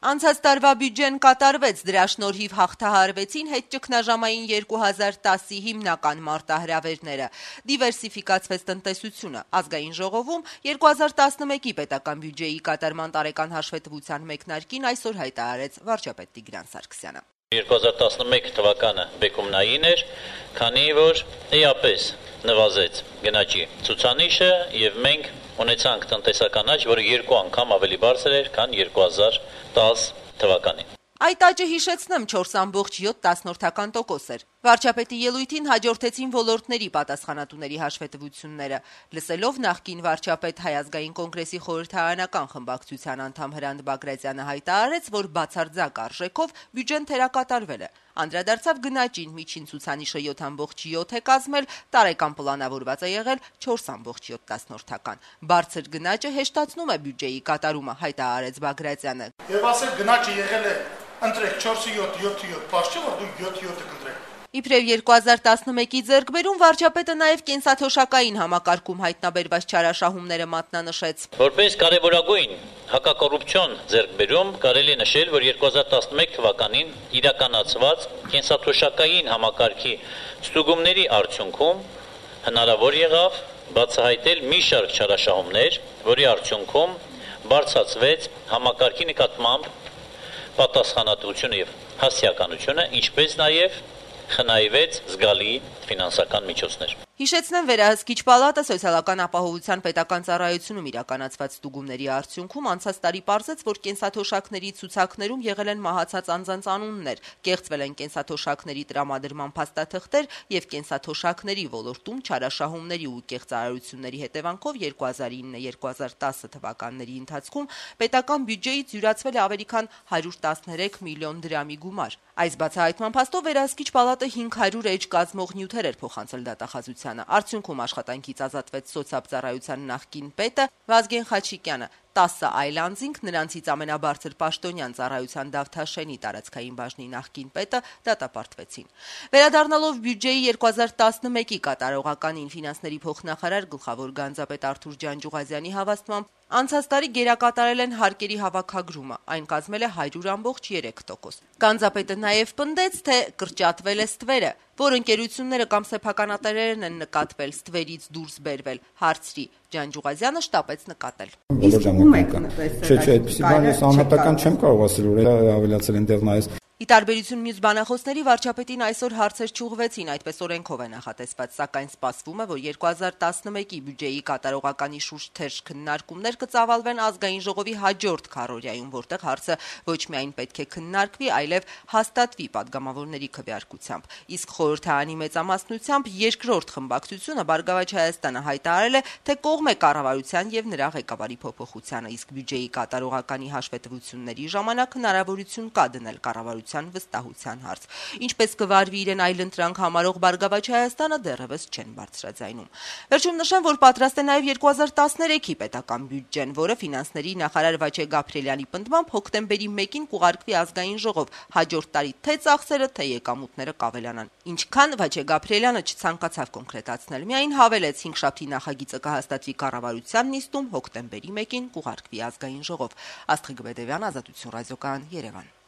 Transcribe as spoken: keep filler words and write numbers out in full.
Անցած տարվա բյուջեն կատարվեց, դրա շնորհիվ հաղթահարվեցին հետճգնաժամային երկու հազար տասի հիմնական մարտահրավերները, դիվերսիֆիկացվեց տնտեսությունը, ազգային ժողովում երկու հազար տասնմեկի պետական բյուջեի կատարման տարեկան հաշվետվության մեկնարկին այսօր հայտարարեց վարչապետ Տիգրան Սարգսյանը. երկու հազար տասնմեկ թվականը բեկումնային էր, քանի որ էապես նվազեց գնաճի ցուցանիշը եւ մենք ունեցանք տնտեսական աճ, որը երկու անգամ ավելի բարձր էր, քան երկու հազար տասը թվականին. Այդ աճը հիշեցնեմ չորս կoma յոթ տոկոս էր։ Վարչապետի ելույթին հաջորդեցին ոլորտների պատասխանատուների հաշվետվությունները։ Լսելով նախկին վարչապետ Հայ ազգային կոնգրեսի խորհրդարանական խմբակցության անդամ Հրանտ Բագրատյանը հայտարարեց, որ բացարձակ արժեքով բյուջեն թերակատարվել է։ Անդրադարձավ գնաճին, միջին ցուցանիշը յոթ կoma յոթ է կազմել, տարեկան պլանավորված է եղել չորս կoma յոթ։ Բարձր գնաճը հեշտացնում է բյուջեի կատարումը, հայտարարեց Բագրատյանը։ Եվ ասել գնաճը եղել է ընտրեք չորս յոթ յոթ յոթ, պաշտ չէ որ դու յոթ յոթը կընտրեք։ Իբրև երկու հազար տասնմեկի ձեռքբերում վարչապետը նաև կենսաթոշակային համակարգում հայտնաբերված չարաշահումները մատնանշեց։ Որպես կարևորագույն հակակոռուպցիոն ձեռքբերում կարելի է նշել, որ երկու հազար տասնմեկ թվականին իրականացված կենսաթոշակային համակարգի ստուգումների արդյունքում հնարավոր եղավ բացահայտել մի շարք չարաշահումներ, որի արդյունքում բարձրացվեց համակարգի նկատմամբ պատասխանատվությունը եւ հասարակականությունը, ինչպես նաեւ խնայվեց զգալի ֆինանսական միջոցներ։ Հիշեցնեմ, Վերահսկիչ պալատը սոցիալական ապահովության պետական ծառայությունում իրականացված ստուգումների արդյունքում անցած տարի պարզեց, որ կենսաթոշակների ցուցակներում եղել են մահացած անձանց անուններ, կեղծվել են կենսաթոշակների տրամադրման փաստաթղթեր եւ կենսաթոշակների ոլորտում չարաշահումների ու կեղծարարությունների հետևանքով երկու հազար ինը երկու հազար տասը թվականների ընթացքում պետական բյուջեից յուրացվել է ավելի քան հարյուր տասներեք միլիոն դրամի գումար։ Այս բացահայտման փաստով Վերահսկիչ պալատը հինգ հարյուր էջ կազմող նյութեր էր փոխանցել դատախազությանը։ Արդյունքում աշխատանքից ազատվեց սոցիալծառայության նախկին պետը Վազգեն Խաչիկյանը, տասը այլ անձինք, նրանցից ամենաբարձր պաշտոնյան ծառայության Դավթաշենի տարածքային բաժնի նախկին պետը դատապարտվեցին։ Վերադառնալով բյուջեի երկու հազար տասնմեկի կատարողականին, ֆինանսների փոխնախարար գլխավոր գանձապետ Արթուր Ջանջուղազյանի հավաստմամբ անցած տարի գերակատարել են հարկերի հավաքագրումը, այն կազմել է հարյուր կoma երեք տոկոս։ Գանձապետը նաև պնդեց, թե կրճատվել է ստվերը, որ ընկերությունները կամ սեփականատերերն են նկատվել ստվերից դուրս բերվել, հարցրի։ Ջանջուղազյանը շտապեց նկատել։ Չէ, չէ, այդպեսի բան ես անհատական չեմ կարող ասել, որ ավելացել են դեռ նայես։ Ի տարբերություն մյուս բանախոսների, վարչապետին այսօր հարցեր չուղղվեցին, այդպես օրենքով է նախատեսված, սակայն սպասվում է, որ երկու հազար տասնմեկի բյուջեի կատարողականի շուրջ թեժ քննարկումներ կծավալվեն ազգային ժողովի հաջորդ քառօրյայում, որտեղ հարցը ոչ միայն պետք է քննարկվի, այլև հաստատվի падգամավորների քվեարկությամբ։ Իսկ խորհրդարանի մեծամասնությամբ երկրորդ խմբակցությունը Բարգավաճ Հայաստանը հայտարարել է, թե կողմ է կառավարության եւ նրա ղեկավարի փոփոխությանը, իսկ բյուջեի կատարողականի հաշվետվությունների ժամանակ հնարավորություն կա դնել կառավարության վստահության հարց։ Ինչպես կվարվի իրեն այլընտրանք համարող Բարգավաճ Հայաստանը դեռևս չեն բարձրաձայնում։ Վերջում նշեմ, որ պատրաստ է նաև երկու հազար տասներեքի պետական բյուջեն, որը ֆինանսների նախարար Վաչե Գաբրիելյանի պնդմամբ հոկտեմբերի մեկին կուղարկվի ազգային ժողով, հաջորդ տարի թե ծախսերը, թե եկամուտները կավելանան։ Ինչքան Վաչե Գաբրիելյանը չցանկացավ կոնկրետացնել, միայն հավելեց հինգշաբթի նախագիծը կհաստատվի կառավարության նիստում, հոկտեմբերի մեկին կուղարկվի ազգային ժողով։ Աստղիկ Բեդևյան, Ազատություն ռադիոկայան, Երևան։